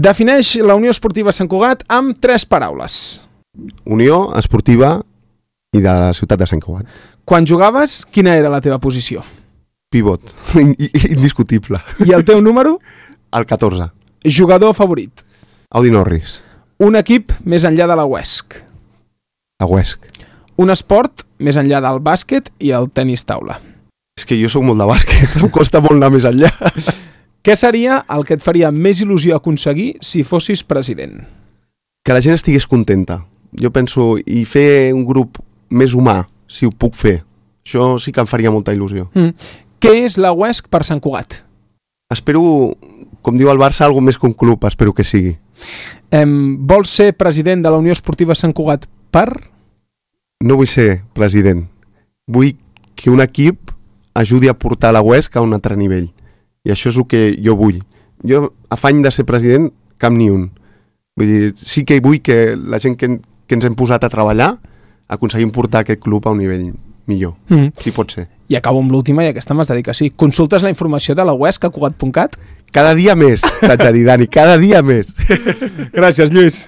Defineix la Unió Esportiva Sant Cugat amb 3 paraules. Unió Esportiva i de la ciutat de Sant Cugat. Quan jugaves, quina era la teva posició? Pivot, indiscutible. I el teu número? El 14. Jugador favorit? Audi Norris. Un equip més enllà de la UESC? A Huesc. Un esport més enllà del bàsquet i el tenis taula? És que jo sóc molt de bàsquet, em costa molt anar més enllà. Què seria el que et faria més il·lusió aconseguir si fossis president? Que la gent estigués contenta. Jo penso, i fer un grup més humà, si ho puc fer. Això sí que em faria molta il·lusió. Què és la UESC per Sant Cugat? Espero, com diu el Barça, alguna més que un club, espero que sigui. Vols ser president de la Unió Esportiva Sant Cugat per? No vull ser president. Vull que un equip ajudi a portar la UESC a un altre nivell. I això és el que jo vull. Jo, afany de ser president, cap ni un. Vull dir, sí que vull que la gent que ens hem posat a treballar aconseguim portar aquest club a un nivell millor, si pot ser. I acabo amb l'última, i aquesta m'has de dir que sí. Consultes la informació de la UESC a Cugat.cat? Cada dia més, t'haig de dir, Dani, cada dia més. Gràcies, Lluís.